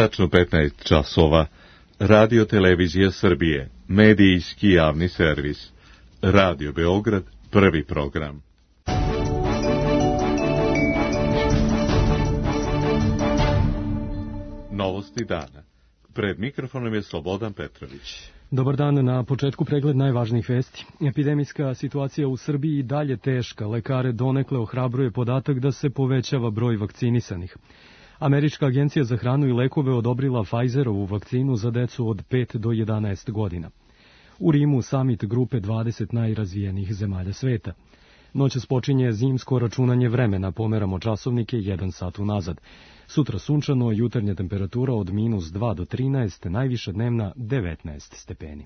Tačno 15 časova. Radio Televizija Srbije, medijski javni servis. Radio Beograd, prvi program. Novosti dana. Pred mikrofonom je Slobodan Petrović. Dobar dan, na početku pregled najvažnijih vesti. Epidemijska situacija u Srbiji i dalje teška. Lekare donekle ohrabruje podatak da se povećava broj vakcinisanih. Američka agencija za hranu i lekove odobrila Pfizerovu vakcinu za decu od 5 do 11 godina. U Rimu samit grupe 20 najrazvijenijih zemalja sveta. Noćas počinje zimsko računanje vremena, pomeramo časovnike 1 sat unazad. Sutra sunčano, jutarnja temperatura od -2 do 13, najviša dnevna 19 stepeni.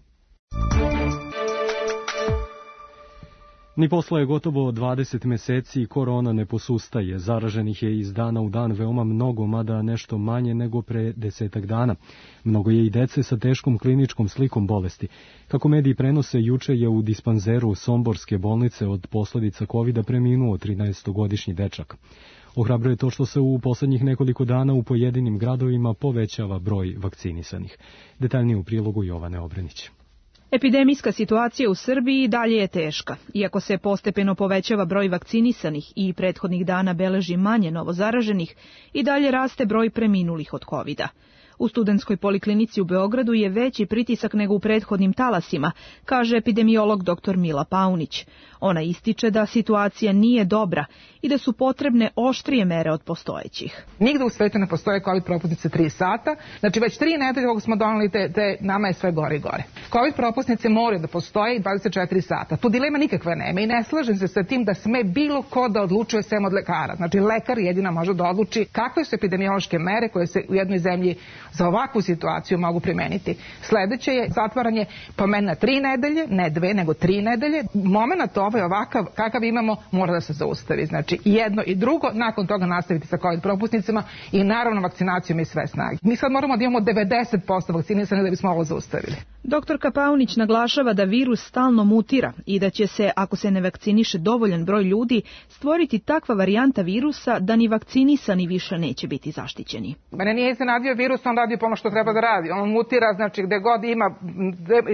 Ni posle je gotovo 20 meseci korona ne posustaje. Zaraženih je iz dana u dan veoma mnogo, mada nešto manje nego pre 10 dana. Mnogo je i dece sa teškom kliničkom slikom bolesti. Kako mediji prenose, juče je u dispanzeru Somborske bolnice od posledica COVID-a preminuo 13-godišnji dečak. Ohrabruje to što se u poslednjih nekoliko dana u pojedinim gradovima povećava broj vakcinisanih. Detaljnije u prilogu Jovane Obrenić. Epidemijska situacija u Srbiji dalje je teška. Iako se postepeno povećava broj vakcinisanih i prethodnih dana beleži manje novozaraženih, i dalje raste broj preminulih od COVID-a. U Studentskoj poliklinici u Beogradu je veći pritisak nego u prethodnim talasima, kaže epidemiolog dr. Mila Paunić. Ona ističe da situacija nije dobra i da su potrebne oštrije mere od postojećih. Nigde u svetu ne postoje COVID propusnice 3 sata, znači već 3 nedelje kako smo doneli, nama je sve gore i gore. COVID propusnice moraju da postoje 24 sata. Tu dilema nikakve nema i ne slažem se sa tim da sme bilo ko da odlučuje sem od lekara. Znači lekar jedina može da odluči kakve su epidemiološke mere koje se u jednoj zemlji za ovakvu situaciju mogu primeniti. Sledeće je zatvaranje po meni na 3 nedelje, ne 2 nego 3 nedelje. Moment ovaj ovakav kakav imamo mora da se zaustavi. Znači jedno i drugo, nakon toga nastaviti sa COVID propusnicama i naravno vakcinacijom i sve snage. Mi sad moramo da imamo 90% vakcinisanih da bismo ovo zaustavili. Doktorka Paunić naglašava da virus stalno mutira i da će se, ako se ne vakciniše dovoljan broj ljudi, stvoriti takva varijanta virusa da ni vakcinisani više neće biti zaštićeni. Mene nije iznenadio virus, on radi po ono što treba da radi. On mutira, znači gde god ima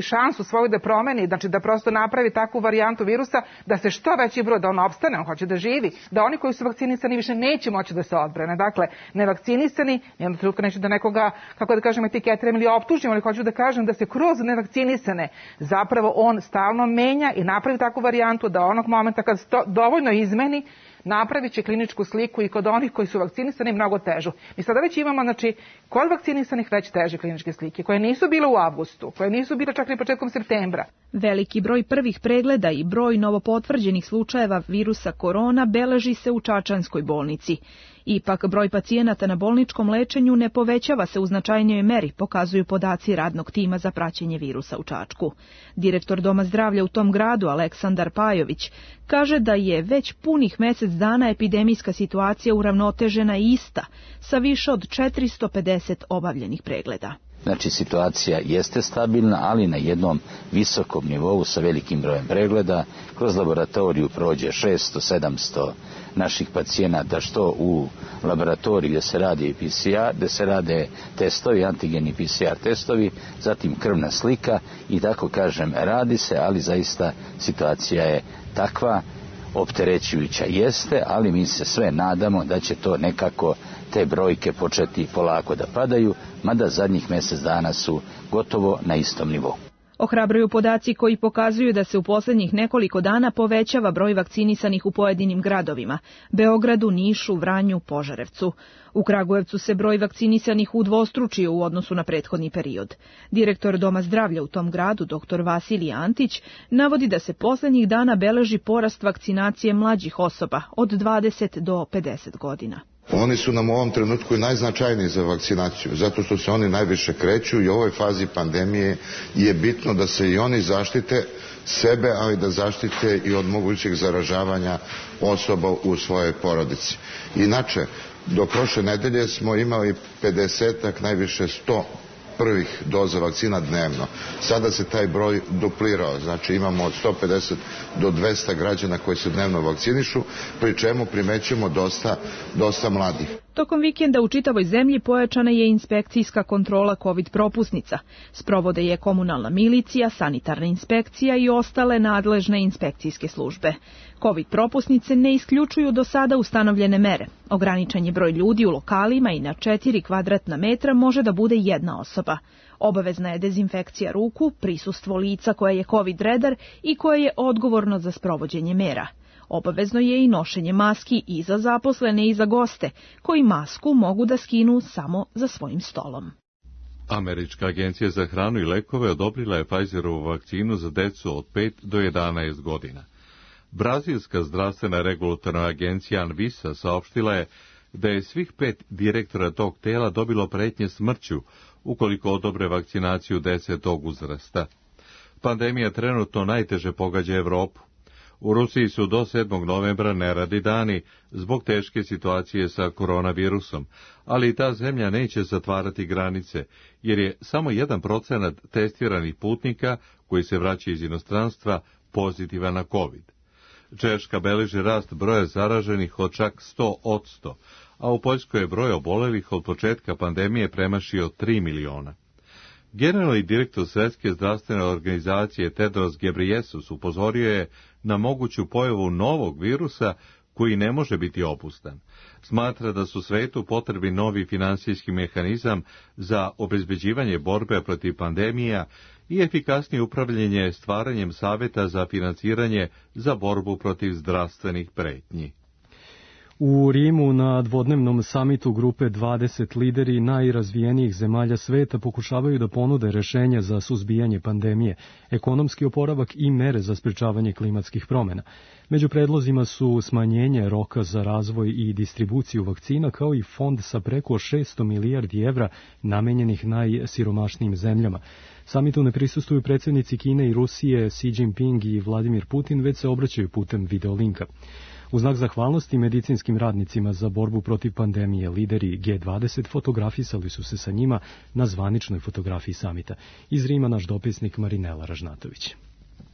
šansu svoju da promeni, znači da prosto napravi takvu varijantu virusa, da se što veći broj, da on opstane, on hoće da živi, da oni koji su vakcinisani više neće moći da se odbrane. Dakle, nevakcinisani, nijednog trenutka neću da nekoga, kako da kažem, etiketirem ili optužim, ali hoću da kažem da se kroz nevakcinisane zapravo on stalno menja i napravi takvu varijantu da onog momenta kad to dovoljno izmeni, napravit će kliničku sliku i kod onih koji su vakcinisani mnogo težu. Mi sada već imamo, znači, kod vakcinisanih već teže kliničke slike, koje nisu bile u avgustu, koje nisu bile čak i početkom septembra. Veliki broj prvih pregleda i broj novopotvrđenih slučajeva virusa korona beleži se u Čačanskoj bolnici. Ipak, broj pacijenata na bolničkom lečenju ne povećava se u značajnijoj meri, pokazuju podaci radnog tima za praćenje virusa u Čačku. Direktor Doma zdravlja u tom gradu, Aleksandar Pajović, kaže da je već punih mesec dana epidemijska situacija uravnotežena i ista, sa više od 450 obavljenih pregleda. Znači, situacija jeste stabilna, ali na jednom visokom nivou sa velikim brojem pregleda. Kroz laboratoriju prođe 600-700 naših pacijenata, što u laboratoriji gdje se radi PCR, gdje se rade testovi, antigeni PCR testovi, zatim krvna slika i tako kažem, radi se, ali zaista situacija je takva, opterećujuća jeste, ali mi se sve nadamo da će to nekako te brojke početi polako da padaju, mada zadnjih mjesec dana su gotovo na istom nivou. Ohrabruju podaci koji pokazuju da se u posljednjih nekoliko dana povećava broj vakcinisanih u pojedinim gradovima: Beogradu, Nišu, Vranju, Požarevcu. U Kragujevcu se broj vakcinisanih udvostručio u odnosu na prethodni period. Direktor Doma zdravlja u tom gradu, dr. Vasilij Antić, navodi da se posljednjih dana beleži porast vakcinacije mlađih osoba od 20 do 50 godina. Oni su nam u ovom trenutku i najznačajniji za vakcinaciju, zato što se oni najviše kreću i u ovoj fazi pandemije je bitno da se i oni zaštite sebe, ali da zaštite i od mogućeg zaražavanja osoba u svojoj porodici. Inače, do prošle nedelje smo imali 50-ak, najviše 100 prvih doza vakcina dnevno. Sada se taj broj duplirao, znači imamo od 150 do 200 građana koji se dnevno vakcinišu, pri čemu primećujemo dosta mladih. Tokom vikenda u čitavoj zemlji pojačana je inspekcijska kontrola COVID propusnica. Sprovode je komunalna milicija, sanitarna inspekcija i ostale nadležne inspekcijske službe. COVID propusnice ne isključuju do sada ustanovljene mere. Ograničen je broj ljudi u lokalima i na 4 kvadratna metra može da bude jedna osoba. Obavezna je dezinfekcija ruku, prisustvo lica koje je COVID redar i koje je odgovorno za sprovođenje mera. Obavezno je i nošenje maski i za zaposlene i za goste, koji masku mogu da skinu samo za svojim stolom. Američka agencija za hranu i lekove odobrila je Pfizerovu vakcinu za decu od 5 do 11 godina. Brazilska zdravstvena regulatorna agencija Anvisa saopštila je da je svih 5 direktora tog tela dobilo pretnje smrću ukoliko odobre vakcinaciju dece tog uzrasta. Pandemija trenutno najteže pogađa Evropu. U Rusiji su do 7. novembra neradi dani zbog teške situacije sa koronavirusom, ali i ta zemlja neće zatvarati granice, jer je samo 1% testiranih putnika koji se vraća iz inostranstva pozitivan na COVID. Češka beleži rast broja zaraženih od čak 100%, a u Poljskoj je broj obolelih od početka pandemije premašio 3 miliona. Generalni direktor Svjetske zdravstvene organizacije Tedros Ghebreyesus upozorio je na moguću pojavu novog virusa koji ne može biti opustan. Smatra da su svetu potrebi novi finansijski mehanizam za obezbeđivanje borbe protiv pandemija i efikasnije upravljanje stvaranjem savjeta za financiranje za borbu protiv zdravstvenih pretnji. U Rimu na dvodnevnom samitu grupe 20 lideri najrazvijenijih zemalja sveta pokušavaju da ponude rešenja za suzbijanje pandemije, ekonomski oporavak i mere za sprečavanje klimatskih promjena. Među predlozima su smanjenje roka za razvoj i distribuciju vakcina, kao i fond sa preko 600 milijardi evra namenjenih najsiromašnijim zemljama. Samitu ne prisustuju predsjednici Kine i Rusije, Xi Jinping i Vladimir Putin, već se obraćaju putem videolinka. U znak zahvalnosti medicinskim radnicima za borbu protiv pandemije, lideri G20 fotografisali su se sa njima na zvaničnoj fotografiji samita. Iz Rima naš dopisnik Marinela Ražnatović.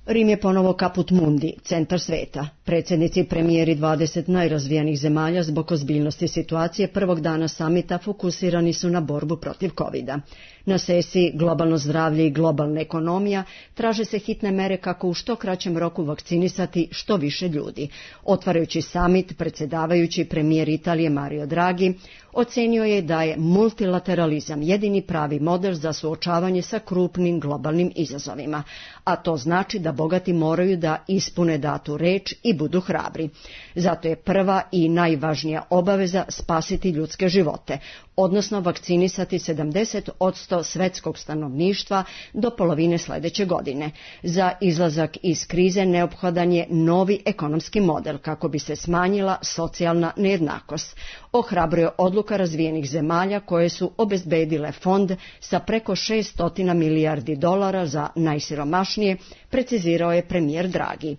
Rim je ponovo kaput mundi, centar sveta. Predsjednici i premijeri 20 najrazvijenih zemalja zbog ozbiljnosti situacije prvog dana samita fokusirani su na borbu protiv COVID-a. Na sesiji Globalno zdravlje i globalna ekonomija traže se hitne mere kako u što kraćem roku vakcinisati što više ljudi. Otvarajući samit, predsjedavajući premijer Italije Mario Draghi ocenio je da je multilateralizam jedini pravi model za suočavanje sa krupnim globalnim izazovima, a to znači da bogati moraju da ispune datu reč i budu hrabri. Zato je prva i najvažnija obaveza spasiti ljudske živote, odnosno vakcinisati 70% svetskog stanovništva do polovine sljedeće godine. Za izlazak iz krize neophodan je novi ekonomski model kako bi se smanjila socijalna nejednakost. Ohrabruje odluka razvijenih zemalja koje su obezbedile fond sa preko 600 milijardi dolara za najsiromašnije, precizirao je premijer Draghi.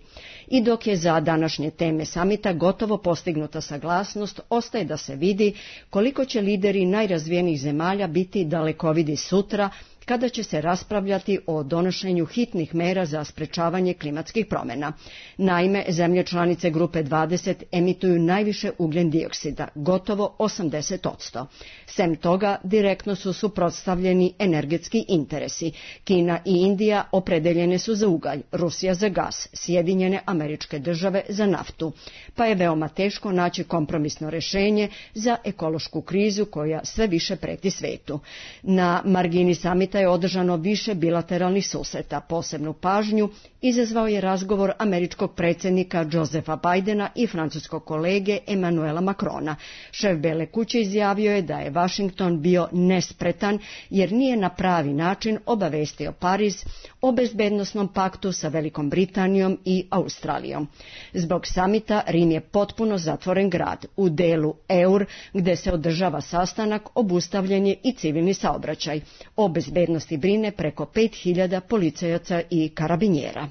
I dok je za današnje teme samita gotovo postignuta saglasnost, ostaje da se vidi koliko će lideri najrazvijenijih zemalja biti dalekovidi sutra, kada će se raspravljati o donošenju hitnih mera za sprečavanje klimatskih promjena. Naime, zemlje članice grupe 20 emituju najviše ugljen dioksida, gotovo 80%. Sem toga, direktno su suprotstavljeni energetski interesi. Kina i Indija opredeljene su za ugalj, Rusija za gas, Sjedinjene Američke Države za naftu, pa je veoma teško naći kompromisno rješenje za ekološku krizu koja sve više preti svetu. Na margini samita je održano više bilateralnih susreta. Posebnu pažnju izazvao je razgovor američkog predsjednika Josepha Bidena i francuskog kolege Emmanuela Macrona. Šef Bele kuće izjavio je da je Washington bio nespretan jer nije na pravi način obavestio Pariz o bezbednosnom paktu sa Velikom Britanijom i Australijom. Zbog samita Rim je potpuno zatvoren grad. U delu Eur, gde se održava sastanak, obustavljen je i civilni saobraćaj. O bezbednosti brine preko 5000 policajaca i karabinjera.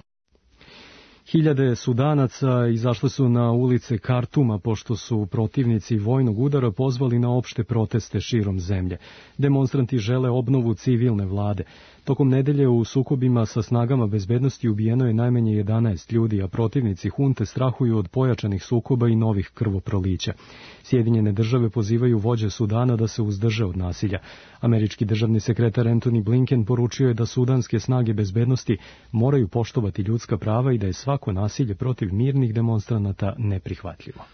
Hiljade Sudanaca izašle su na ulice Kartuma pošto su protivnici vojnog udara pozvali na opšte proteste širom zemlje. Demonstranti žele obnovu civilne vlade. Tokom nedelje u sukobima sa snagama bezbednosti ubijeno je najmanje 11 ljudi, a protivnici hunte strahuju od pojačanih sukoba i novih krvoprolića. Sjedinjene države pozivaju vođe Sudana da se uzdrže od nasilja. Američki državni sekretar Antony Blinken poručio je da sudanske snage bezbednosti moraju poštovati ljudska prava i da je svako nasilje protiv mirnih demonstranata neprihvatljivo.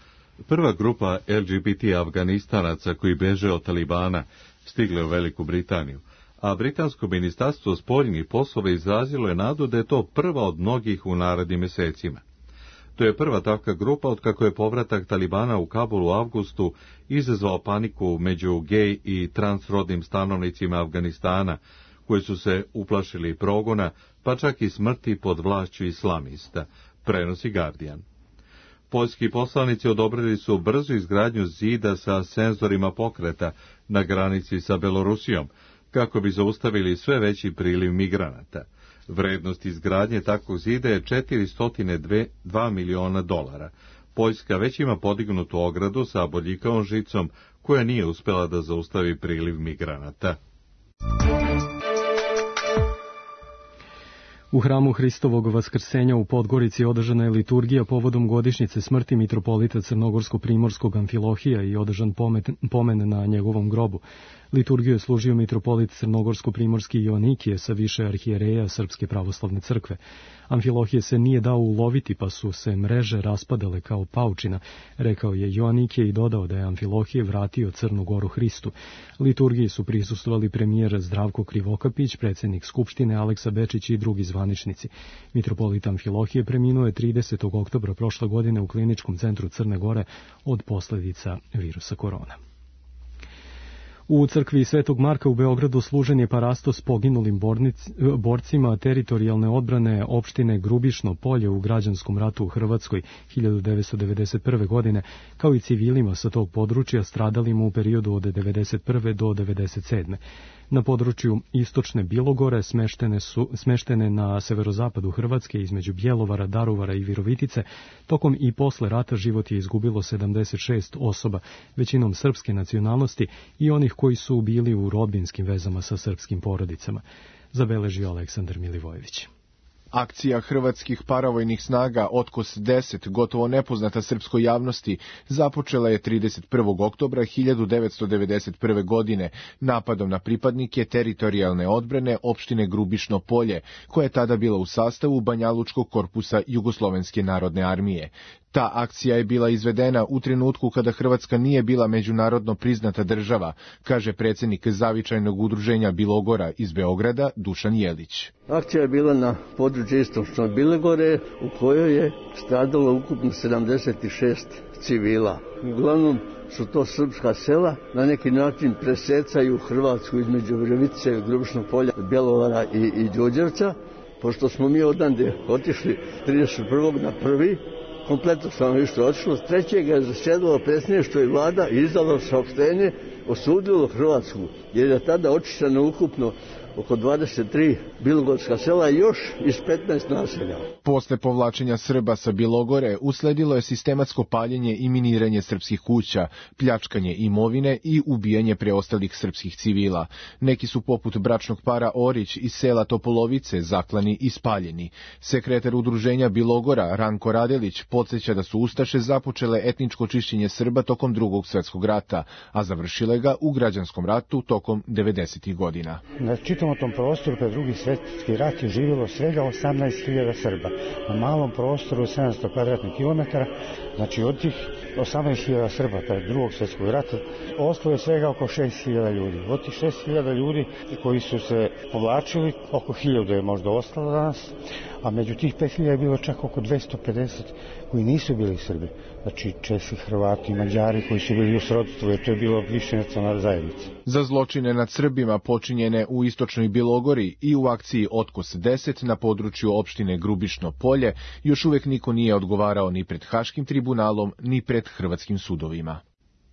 Prva grupa LGBT Afganistanaca koji beže od Talibana stigle u Veliku Britaniju, a britansko ministarstvo spoljnih poslova izrazilo je nadu da je to prva od mnogih u narednim mesecima. To je prva takva grupa otkako je povratak Talibana u Kabul u avgustu izazvao paniku među gej i transrodnim stanovnicima Afganistana, koji su se uplašili progona, pa čak i smrti pod vlašću islamista, prenosi Guardian. Poljski poslanici odobrili su brzu izgradnju zida sa senzorima pokreta na granici sa Belorusijom, kako bi zaustavili sve veći priliv migranata. Vrednost izgradnje takvog zida je $402 miliona. Poljska već ima podignutu ogradu sa bodljikavom žicom, koja nije uspela da zaustavi priliv migranata. U hramu Hristovog vaskrsenja u Podgorici održana je liturgija povodom godišnjice smrti mitropolita Crnogorsko-primorskog Amfilohija i održan pomen na njegovom grobu. Liturgiju je služio mitropolit Crnogorsko-primorski Joanikije sa više arhijereja Srpske pravoslavne crkve. Amfilohije se nije dao uloviti, pa su se mreže raspadale kao paučina, rekao je Joanikije i dodao da je Amfilohije vratio Crnu Goru Hristu. Liturgiji su prisustvovali premijer Zdravko Krivokapić, predsjednik Skupštine Aleksa Bečić i drugi zvaničnici. Mitropolit Amfilohije preminuo je 30. oktobra prošle godine u Kliničkom centru Crne Gore od posljedica virusa korona. U crkvi Svetog Marka u Beogradu služen je parastos poginulim borcima teritorijalne odbrane opštine Grubišno Polje u građanskom ratu u Hrvatskoj 1991. godine, kao i civilima sa tog područja stradalima u periodu od 1991. do 1997. Na području istočne Bilogore, smeštene na severozapadu Hrvatske između Bjelovara, Daruvara i Virovitice, tokom i posle rata život je izgubilo 76 osoba, većinom srpske nacionalnosti i onih koji su bili u rodbinskim vezama sa srpskim porodicama, zabeležio Aleksandar Milivojević. Akcija hrvatskih paravojnih snaga Otkos 10, gotovo nepoznata srpskoj javnosti, započela je 31. oktobra 1991. godine napadom na pripadnike teritorijalne odbrane opštine Grubišno Polje, koja je tada bila u sastavu Banjalučkog korpusa Jugoslovenske narodne armije. Ta akcija je bila izvedena u trenutku kada Hrvatska nije bila međunarodno priznata država, kaže predsjednik Zavičajnog udruženja Bilogora iz Beograda Dušan Jelić. Akcija je bila na području istočne Bilogore u kojoj je stradalo ukupno 76 civila. Uglavnom su to srpska sela, na neki način presecaju Hrvatsku između Virovitice, Grubišnog Polja, Bjelovara i Đurđevca. Pošto smo mi odande otišli 31. na 1. kompletno stanovništvo otišlo. 3. je zasjedalo predsjedništvo i vlada i izdalo saopštenje, osudilo Hrvatsku, jer je tada očišćeno ukupno oko 23 bilogorska sela i još iz 15 naselja. Posle povlačenja Srba sa Bilogore usledilo je sistematsko paljenje i miniranje srpskih kuća, pljačkanje imovine i ubijanje preostalih srpskih civila. Neki su poput bračnog para Orić iz sela Topolovice zaklani i spaljeni. Sekretar udruženja Bilogora Ranko Radelić podsjeća da su ustaše započele etničko čišćenje Srba tokom Drugog svjetskog rata, a završile ga u građanskom ratu tokom 90. godina. Na čitavom tom prostoru pred Drugi svjetski rat je živjelo svega 18.000 Srba. Na malom prostoru 700 kvadratnih kilometara, znači od tih 18.000 Srba pred Drugog svjetskog rata ostalo je svega oko 6.000 ljudi. Od tih 6.000 ljudi koji su se povlačili, oko 1.000 je možda ostalo danas, a među tih 5.000 je bilo čak oko 250 koji nisu bili Srbi. Znači Česi, Hrvati, Mađari koji su bili u srodstvu, jer to je bilo više nacionalna zajednica. Za zločine nad Srbima počinjene u istočnoj Bilogori i u akciji Otkos 10 na području opštine Grubišno Polje još uvijek niko nije odgovarao ni pred Haškim tribunalom, ni pred hrvatskim sudovima.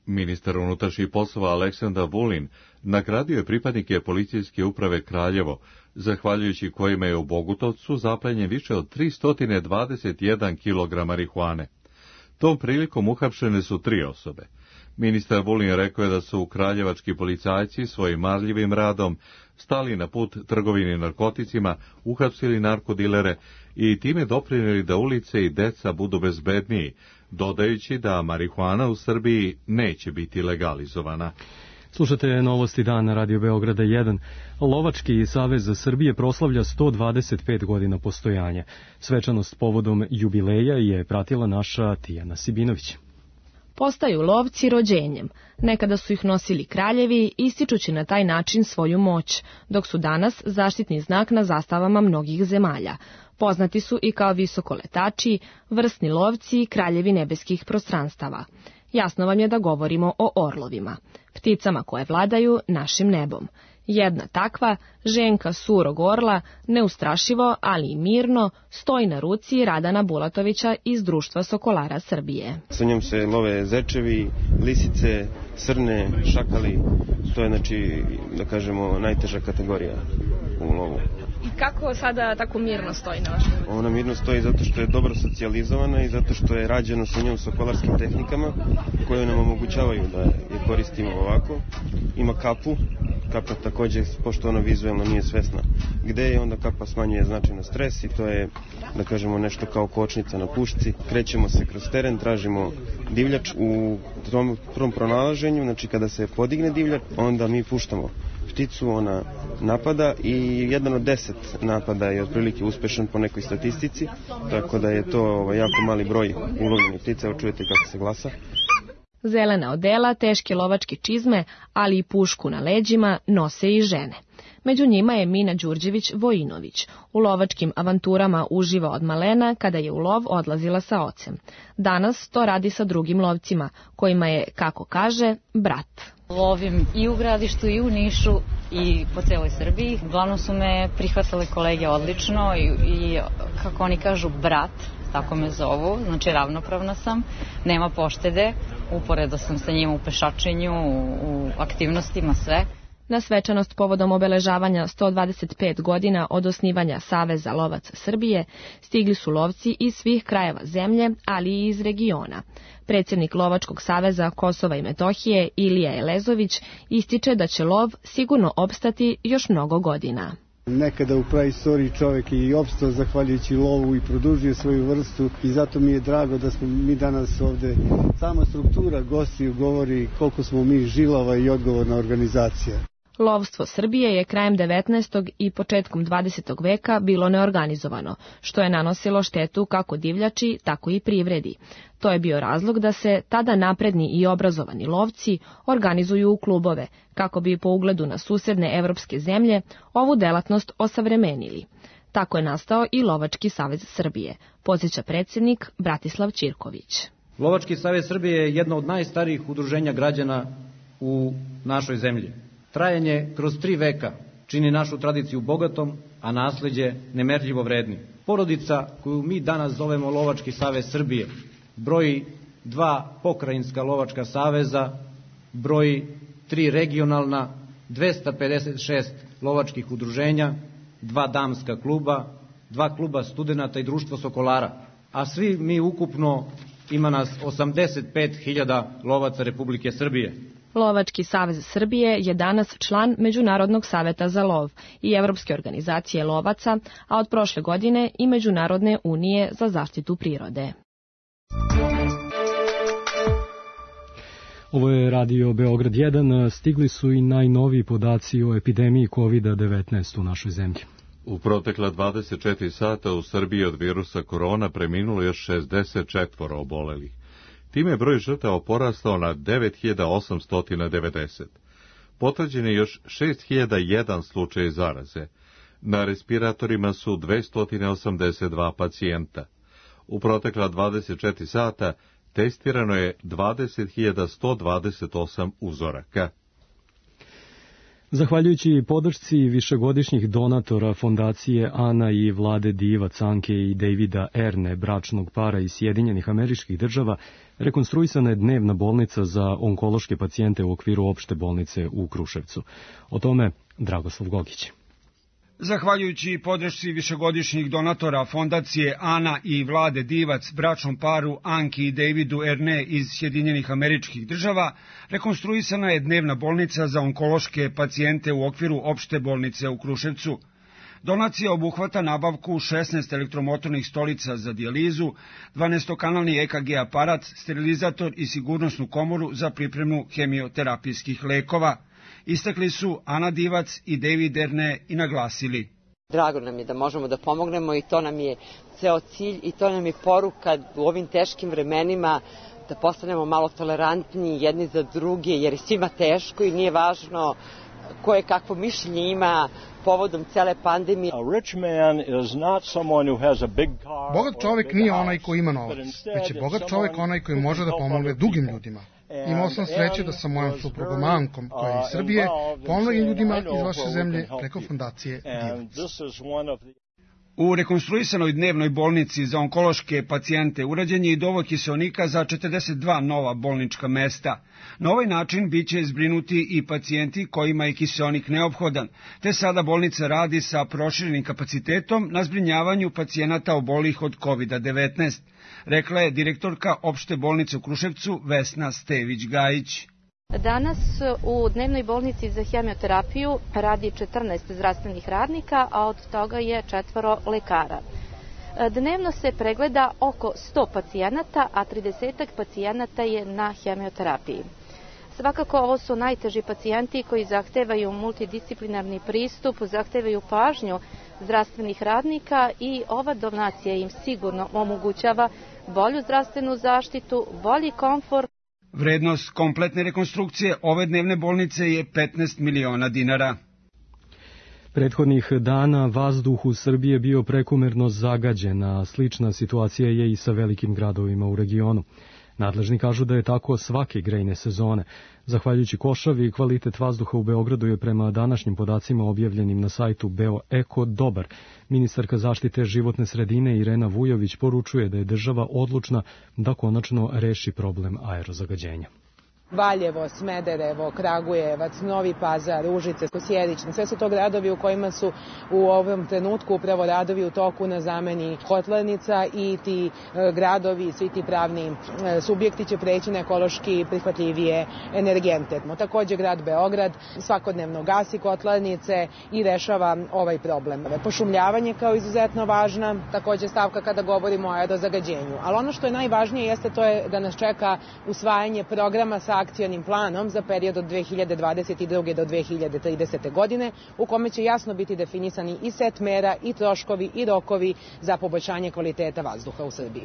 Ministar unutrašnjih poslova Aleksandar Vulin nagradio je pripadnike policijske uprave Kraljevo, zahvaljujući kojima je u Bogutovcu zaplenjen više od 321 kg marihuane. Tom prilikom uhapšene su 3 osobe. Ministar Vulin rekao je da su kraljevački policajci svojim marljivim radom stali na put trgovini narkoticima, uhapsili narkodilere i time doprinijeli da ulice i deca budu bezbedniji, dodajući da marihuana u Srbiji neće biti legalizovana. Slušate Novosti dan na Radio Beograda 1. Lovački savez Srbije proslavlja 125 godina postojanja. Svečanost povodom jubileja je pratila naša Tijana Sibinović. Postaju lovci rođenjem. Nekada su ih nosili kraljevi, ističući na taj način svoju moć, dok su danas zaštitni znak na zastavama mnogih zemalja. Poznati su i kao visokoletači, vrsni lovci i kraljevi nebeskih prostranstava. Jasno vam je da govorimo o orlovima, pticama koje vladaju našim nebom. Jedna takva, ženka surog orla, neustrašivo, ali i mirno, stoji na ruci Radana Bulatovića iz Društva sokolara Srbije. Sa njom se love zečevi, lisice, srne, šakali, to je, znači, da kažemo, najteža kategorija u lovu. I kako sada tako mirno stoji na vašem? Ona mirno stoji zato što je dobro socijalizovana i zato što je rađeno sa njom sokolarskim tehnikama koje nam omogućavaju da je koristimo ovako. Ima kapu, kapa također, pošto ona vizualno nije svesna gde je, onda kapa smanjuje značajno stres i to je, da kažemo, nešto kao kočnica na pušci. Krećemo se kroz teren, tražimo divljač. U tom prvom pronalaženju, znači kada se podigne divljač, onda mi puštamo pticu, ona napada i 1 od 10 napada je otprilike uspešan po nekoj statistici, tako da je to jako mali broj ulovljenih ptica. Evo čujete kako se glasa. Zelena odela, teške lovačke čizme, ali i pušku na leđima nose i žene. Među njima je Mina Đurđević-Vojinović. U lovačkim avanturama uživa od malena kada je u lov odlazila sa ocem. Danas to radi sa drugim lovcima, kojima je, kako kaže, brat. Lovim i u Gradištu i u Nišu i po celoj Srbiji. Uglavnom su me prihvatale kolege odlično i kako oni kažu, brat, tako me zovu, znači ravnopravna sam, nema poštede, uporedo sam sa njim u pešačenju, u aktivnostima, sve. Na svečanost povodom obeležavanja 125 godina od osnivanja Saveza lovaca Srbije stigli su lovci iz svih krajeva zemlje, ali i iz regiona. Predsjednik Lovačkog saveza Kosova i Metohije, Ilija Elezović, ističe da će lov sigurno opstati još mnogo godina. Nekada u praistoriji čovjek je i opstao zahvaljujući lovu i produžio svoju vrstu i zato mi je drago da smo mi danas ovde. Sama struktura gostiju govori koliko smo mi žilava i odgovorna organizacija. Lovstvo Srbije je krajem 19. i početkom 20. veka bilo neorganizovano, što je nanosilo štetu kako divljači, tako i privredi. To je bio razlog da se tada napredni i obrazovani lovci organizuju u klubove, kako bi po ugledu na susedne evropske zemlje ovu delatnost osavremenili. Tako je nastao i Lovački savez Srbije, podsjeća predsjednik Bratislav Ćirković. Lovački savez Srbije je jedno od najstarijih udruženja građana u našoj zemlji. Trajanje kroz 3 veka čini našu tradiciju bogatom, a nasleđe nemerljivo vrednim. Porodica koju mi danas zovemo Lovački savez Srbije broji 2 pokrajinska lovačka saveza, broji 3 regionalna, 256 lovačkih udruženja, 2 damska kluba, 2 kluba studenata i Društvo sokolara, a svi mi ukupno ima nas 85.000 lovaca Republike Srbije. Lovački savez Srbije je danas član Međunarodnog saveta za lov i Evropske organizacije lovaca, a od prošle godine i Međunarodne unije za zaštitu prirode. Ovo je Radio Beograd 1. Stigli su i najnoviji podaci o epidemiji COVID-19 u našoj zemlji. U protekla 24 sata u Srbiji od virusa korona preminulo još 64 obolelih. Time je broj žrtava porastao na 9890. Potvrđen je još 6001 slučaj zaraze. Na respiratorima su 282 pacijenta. U protekla 24 sata testirano je 20.128 uzoraka. Zahvaljujući podršci višegodišnjih donatora fondacije Ana i Vlade Divac, Anke i Davida Erne, bračnog para iz Sjedinjenih Američkih Država, rekonstruisana je dnevna bolnica za onkološke pacijente u okviru opšte bolnice u Kruševcu. O tome Dragoslav Gogić. Zahvaljujući podršci višegodišnjih donatora fondacije Ana i Vlade Divac, bračnom paru Anki i Davidu Erne iz Sjedinjenih Američkih Država, rekonstruisana je dnevna bolnica za onkološke pacijente u okviru opšte bolnice u Kruševcu. Donacija obuhvata nabavku 16 elektromotornih stolica za dijalizu, 12-kanalni EKG aparat, sterilizator i sigurnosnu komoru za pripremu hemioterapijskih lekova. Istakli su Ana Divac i David Erne i naglasili. Drago nam je da možemo da pomognemo i to nam je ceo cilj i to nam je poruka u ovim teškim vremenima da postanemo malo tolerantniji jedni za druge jer je svima teško i nije važno koje kakvo mišljenje ima povodom cele pandemije. Bogat čovjek nije onaj koji ima novac, već je bogat čovjek onaj koji može da pomogne drugim ljudima. Imao sam sreće da sa mojom suprugom Ankom, koja je iz Srbije, pomogli ljudima iz vaše zemlje preko fondacije Divac. U rekonstruisanoj dnevnoj bolnici za onkološke pacijente urađen je i dovod kiseonika za 42 nova bolnička mesta. Na ovaj način biće zbrinuti i pacijenti kojima je kiseonik neophodan, te sada bolnica radi sa proširenim kapacitetom na zbrinjavanju pacijenata obolih od COVID-19, rekla je direktorka opšte bolnice u Kruševcu Vesna Stević-Gajić. Danas u dnevnoj bolnici za hemioterapiju radi 14 zdravstvenih radnika, a od toga je 4 lekara. Dnevno se pregleda oko 100 pacijenata, a 30 pacijenata je na hemioterapiji. Svakako ovo su najteži pacijenti koji zahtevaju multidisciplinarni pristup, zahtevaju pažnju zdravstvenih radnika i ova donacija im sigurno omogućava bolju zdravstvenu zaštitu, bolji komfort. Vrednost kompletne rekonstrukcije ove dnevne bolnice je 15 miliona dinara. Prethodnih dana vazduh u Srbiji je bio prekomerno zagađen, a slična situacija je i sa velikim gradovima u regionu. Nadležni kažu da je tako svake grejne sezone. Zahvaljujući košavi, kvalitet vazduha u Beogradu je prema današnjim podacima objavljenim na sajtu BeoEko dobar. Ministarka zaštite životne sredine Irena Vujović poručuje da je država odlučna da konačno reši problem aerozagađenja. Valjevo, Smederevo, Kragujevac, Novi Pazar, Užice, Sjedić, sve su to gradovi u kojima su u ovom trenutku upravo radovi u toku na zameni kotlarnica i ti gradovi, svi ti pravni subjekti će preći na ekološki prihvatljivije energente. Takođe grad Beograd svakodnevno gasi kotlarnice i rešava ovaj problem. Pošumljavanje kao izuzetno važna, takođe stavka kada govorimo o aerozagađenju. Ali ono što je najvažnije jeste to je da nas čeka usvajanje programa sa akcionim planom za period od 2022. do 2030. godine, u kome će jasno biti definisani i set mera, i troškovi, i rokovi za poboljšanje kvaliteta vazduha u Srbiji.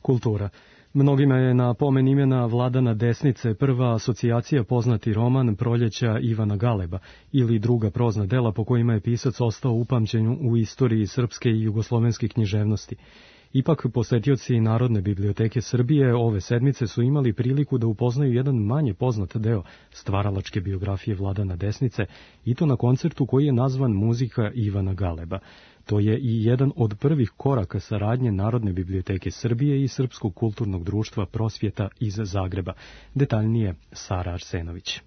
Kultura. Mnogima je na pomen imena Vladana Desnice prva asocijacija poznati roman Proljeća Ivana Galeba ili druga prozna dela po kojima je pisac ostao upamćen u istoriji srpske i jugoslovenske književnosti. Ipak, posetioci Narodne biblioteke Srbije ove sedmice su imali priliku da upoznaju jedan manje poznat deo stvaralačke biografije Vladana Desnice, i to na koncertu koji je nazvan Muzika Ivana Galeba. To je i jedan od prvih koraka saradnje Narodne biblioteke Srbije i Srpskog kulturnog društva Prosvjeta iz Zagreba. Detaljnije Sara Arsenović.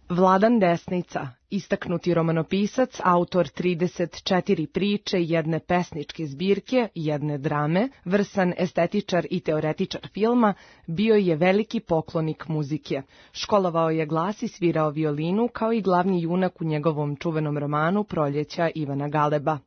Vladan Desnica, istaknuti romanopisac, autor 34 priče, jedne pesničke zbirke, jedne drame, vrsan estetičar i teoretičar filma, bio je veliki poklonik muzike. Školovao je glas i svirao violinu kao i glavni junak u njegovom čuvenom romanu Proljeća Ivana Galeba.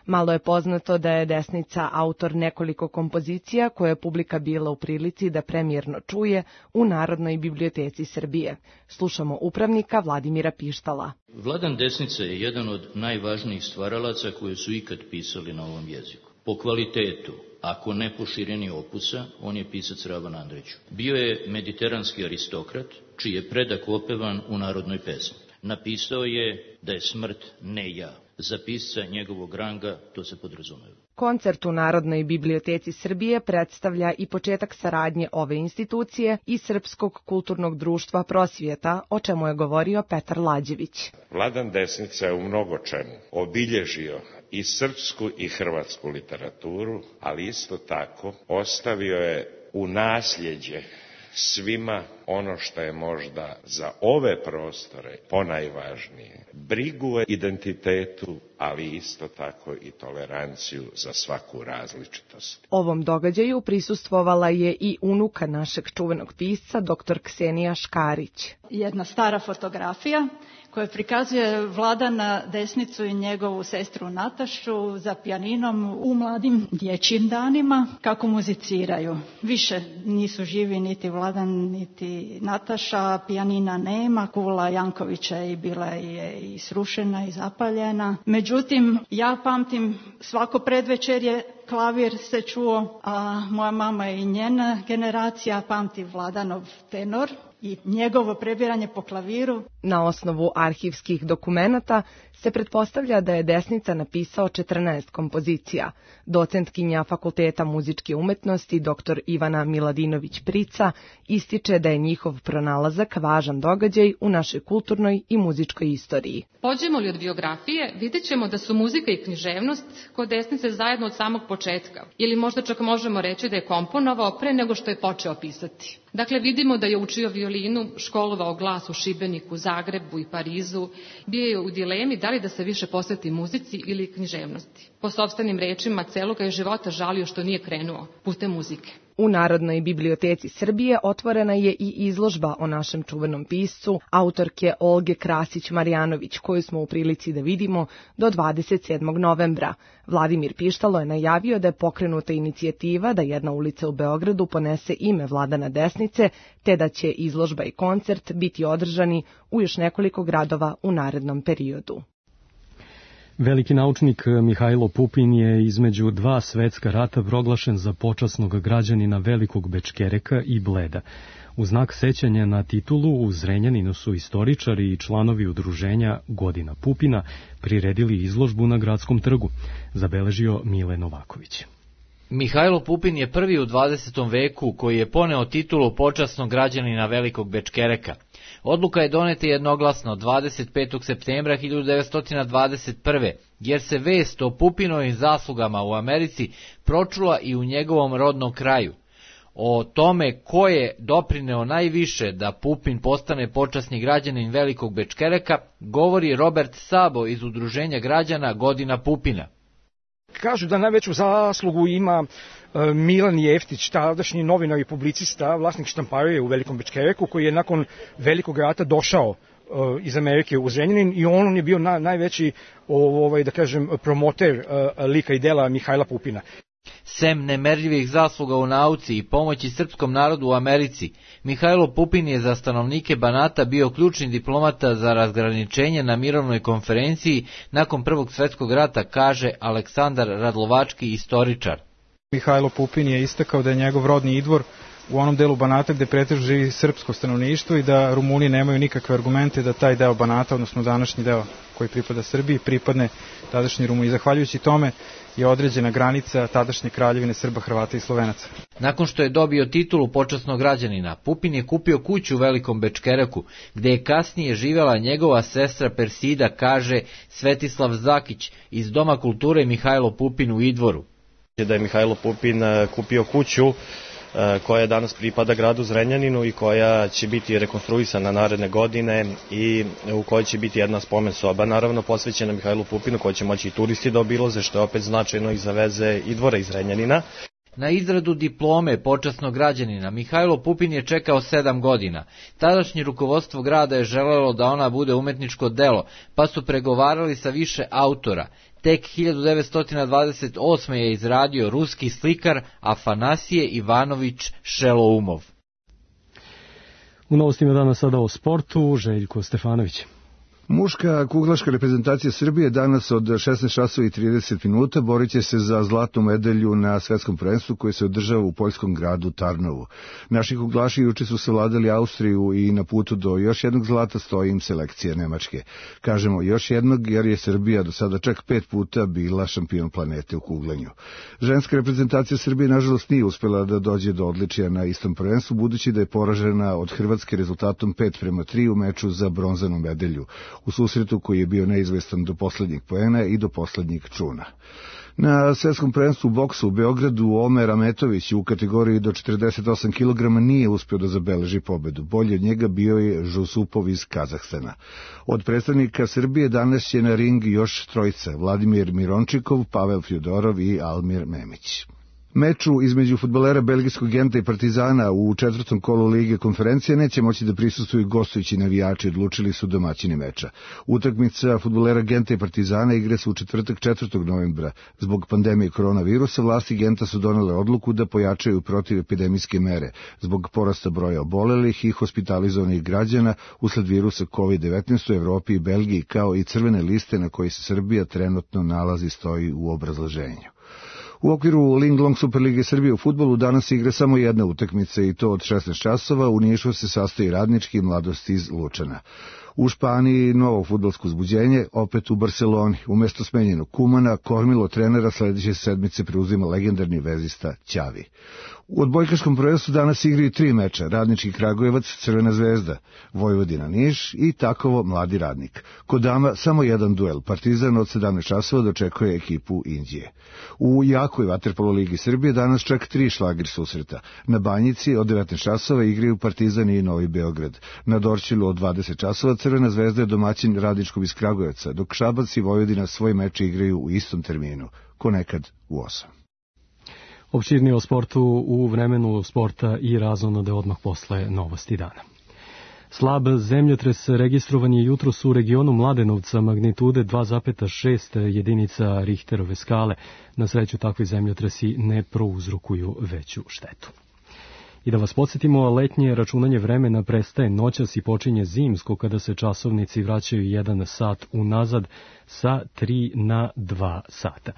Malo je poznato da je Desnica autor nekoliko kompozicija koje je publika bila u prilici da premijerno čuje u Narodnoj biblioteci Srbije. Slušamo upravnika Vladimira Pištala. Vladan Desnica je jedan od najvažnijih stvaralaca koji su ikad pisali na ovom jeziku. Po kvalitetu, ako ne po širini opusa, on je pisac Ravan Andrić. Bio je mediteranski aristokrat, čiji je predak opevan u narodnoj pesmi. Napisao je da je smrt ne ja. Za pisca njegovog ranga to se podrazumeva. Koncert u Narodnoj biblioteci Srbije predstavlja i početak saradnje ove institucije i Srpskog kulturnog društva Prosvjeta, o čemu je govorio Petar Lađević. Vladan Desnica je u mnogo čemu obilježio i srpsku i hrvatsku literaturu, ali isto tako ostavio je u nasljeđe svima ono što je možda za ove prostore ponajvažnije, brigu o identitetu, ali isto tako i toleranciju za svaku različitost. Ovom događaju prisustvovala je i unuka našeg čuvenog pisca, dr. Ksenija Škarić. Jedna stara fotografija koja prikazuje Vladana Desnicu i njegovu sestru Natašu za pijaninom u mladim dječjim danima, kako muziciraju. Više nisu živi niti Vladan, niti Nataša, pijanina nema, kula Jankovića je bila i srušena i zapaljena. Međutim, ja pamtim svako predvečerje klavir se čuo, a moja mama i njena generacija pamti Vladanov tenor i njegovo prebiranje po klaviru. Na osnovu arhivskih dokumenata se pretpostavlja da je Desnica napisao 14 kompozicija. Docentkinja Fakulteta muzičke umetnosti dr. Ivana Miladinović-Prica ističe da je njihov pronalazak važan događaj u našoj kulturnoj i muzičkoj istoriji. Pođemo li od biografije, vidjet ćemo da su muzika i književnost kod Desnice zajedno od samog početka. Ili možda čak možemo reći da je komponovao pre nego što je počeo pisati. Dakle, vidimo da je učio violinu, školovao glas u Šibeniku, Zagrebu i Parizu. Bio je u dilemi da li da se više posveti muzici ili književnosti. Po sopstvenim rečima, celoga je života žalio što nije krenuo putem muzike. U Narodnoj biblioteci Srbije otvorena je i izložba o našem čuvenom piscu, autorke Olge Krasić-Marjanović, koju smo u prilici da vidimo do 27. novembra. Vladimir Pištalo je najavio da je pokrenuta inicijativa da jedna ulica u Beogradu ponese ime Vladana Desnice, te da će izložba i koncert biti održani u još nekoliko gradova u narednom periodu. Veliki naučnik Mihajlo Pupin je između dva svetska rata proglašen za počasnog građanina Velikog Bečkereka i Bleda. U znak sećanja na titulu u Zrenjaninu su istoričari i članovi udruženja Godina Pupina priredili izložbu na Gradskom trgu, zabeležio Mile Novaković. Mihajlo Pupin je prvi u 20. veku koji je poneo titulu počasnog građanina Velikog Bečkereka. Odluka je doneta jednoglasno 25. septembra 1921. jer se vest o Pupinovim zaslugama u Americi pročula i u njegovom rodnom kraju. O tome ko je doprineo najviše da Pupin postane počasni građanin Velikog Bečkereka govori Robert Sabo iz udruženja građana Godina Pupina. Kažu da najveću zaslugu ima Milan Jeftić, tadašnji novinar i publicista, vlasnik štamparije u Velikom Bečkereku, koji je nakon Velikog rata došao iz Amerike u Zrenjanin i on je bio najveći da kažem, promoter lika i dela Mihajla Pupina. Sem nemerljivih zasluga u nauci i pomoći srpskom narodu u Americi, Mihajlo Pupin je za stanovnike Banata bio ključni diplomata za razgraničenje na mirovnoj konferenciji nakon Prvog svjetskog rata, kaže Aleksandar Radlovački, istoričar. Mihajlo Pupin je istakao da je njegov rodni Idvor u onom delu Banata gde pretežno živi srpsko stanovništvo i da Rumuni nemaju nikakve argumente da taj deo Banata, odnosno današnji deo koji pripada Srbiji, pripadne tadašnji Rumuni. Zahvaljujući tome je određena granica tadašnje kraljevine Srba, Hrvata i Slovenaca. Nakon što je dobio titulu počasnog građanina, Pupin je kupio kuću u Velikom Bečkereku, gde je kasnije živela njegova sestra Persida, kaže Svetislav Zakić iz Doma kulture Mihajlo Pupin u Idvoru. Da je Mihajlo Pupin kupio kuću koja danas pripada gradu Zrenjaninu i koja će biti rekonstruisana naredne godine i u kojoj će biti jedna spomen soba, naravno posvećena Mihajlu Pupinu, koju će moći i turisti da obilaze, što je opet značajno i za veze Idvora iz Zrenjanina. Na izradu diplome počasnog građanina Mihajlo Pupin je čekao 7 godina. Tadašnje rukovodstvo grada je želelo da ona bude umetničko delo, pa su pregovarali sa više autora. Tek 1928. je izradio ruski slikar Afanasije Ivanović Šeloumov. U novostima danas sada o sportu, Željko Stefanović. Muška kuglaška reprezentacija Srbije danas od 16:30 borit će se za zlatnu medalju na svetskom prvenstvu koje se održava u poljskom gradu Tarnovu. Naši kuglaši juče su savladali Austriju i na putu do još jednog zlata stoji im selekcija Nemačke. Kažemo još jednog jer je Srbija do sada čak 5 puta bila šampion planete u kuglanju. Ženska reprezentacija Srbije nažalost nije uspela da dođe do odličija na istom prvenstvu, budući da je poražena od Hrvatske rezultatom 5:3 u meču za bronzanu medalju, u susretu koji je bio neizvestan do poslednjeg poena i do poslednjeg čuna. Na svetskom prvenstvu u boksu u Beogradu Omer Ametović u kategoriji do 48 kg nije uspio da zabeleži pobedu. Bolji od njega bio je Žusupov iz Kazahstana. Od predstavnika Srbije danas će na ring još trojica: Vladimir Mirončikov, Pavel Fjodorov i Almir Memić. Meču između fudbalera belgijskog Genta i Partizana u četvrtom kolu Lige konferencije neće moći da prisustvuju gostujući navijači, odlučili su domaćini meča. Utakmica fudbalera Genta i Partizana igra se u četvrtak 4. novembra. Zbog pandemije koronavirusa vlasti Genta su donele odluku da pojačaju protivepidemijske mere zbog porasta broja obolelih i hospitalizovanih građana usled virusa COVID-19 u Evropi i Belgiji, kao i crvene liste na kojoj se Srbija trenutno nalazi, stoji u obrazloženju. U okviru Linglong Superlige Srbije u fudbalu danas igra samo jedna utakmica i to od 16 časova. U Nišu se sastoji Radnički i Mladost iz Lučana. U Španiji novo fudbalsko uzbuđenje, opet u Barceloni. Umesto smenjenog Kumana, kormilo trenera sledeće sedmice preuzima legendarni vezista Ćavi. U odbojkaškom prvenstvu danas igraju 3 meča: Radnički Kragujevac, Crvena zvezda, Vojvodina Niš i Takovo Mladi Radnik. Kod dama samo jedan duel. Partizan od 17 časova dočekuje ekipu Inđije. U jakoj vaterpolo ligi Srbije danas čak 3 šlagir susreta. Na Banjici od 19 časova igraju Partizan i Novi Beograd. Na Dorćolu od 20 časova Crvena zvezda je domaćin Radničkog iz Kragujevca, dok Šabac i Vojvodina svoj meč igraju u istom terminu, ko nekad u 8. Opširnije o sportu u vremenu sporta i razonode odmah posle novosti dana. Slab zemljotres registrovan je jutros u regionu Mladenovca magnitude 2,6 jedinica Richterove skale. Na sreću takvi zemljotresi ne prouzrokuju veću štetu. I da vas podsjetimo, letnje računanje vremena prestaje noćas i počinje zimsko kada se časovnici vraćaju 1 sat unazad sa 3 na 2 sata.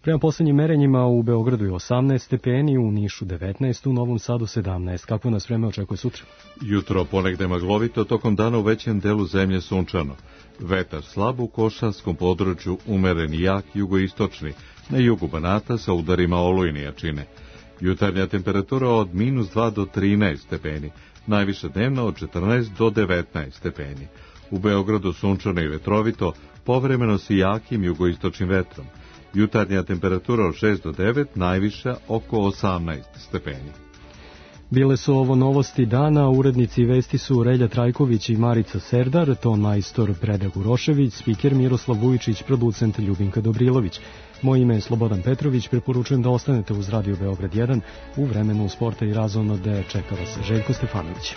Prema poslednjim merenjima u Beogradu je 18 stepeni, u Nišu 19, u Novom Sadu 17. Kako nas vreme očekuje sutra? Jutro ponegde maglovito, tokom dana u većem delu zemlje sunčano. Vetar slab u Košanskom području, umeren i jak jugoistočni, na jugu Banata sa udarima olujne jačine. Jutarnja temperatura od -2 do 13 stepeni, najviše dnevno od 14 do 19 stepeni. U Beogradu sunčano i vetrovito, povremeno s jakim jugoistočnim vetrom. Jutarnja temperatura od 6 do 9, najviša oko 18 stepeni. Bile su ovo novosti dana, urednici vesti su Relja Trajković i Marica Serdar, ton majstor Predrag Urošević, spiker Miroslav Vujičić, producent Ljubinka Dobrilović. Moje ime je Slobodan Petrović, preporučujem da ostanete uz Radio Beograd 1, u vremenu sporta i razonode čeka vas Željko Stefanović.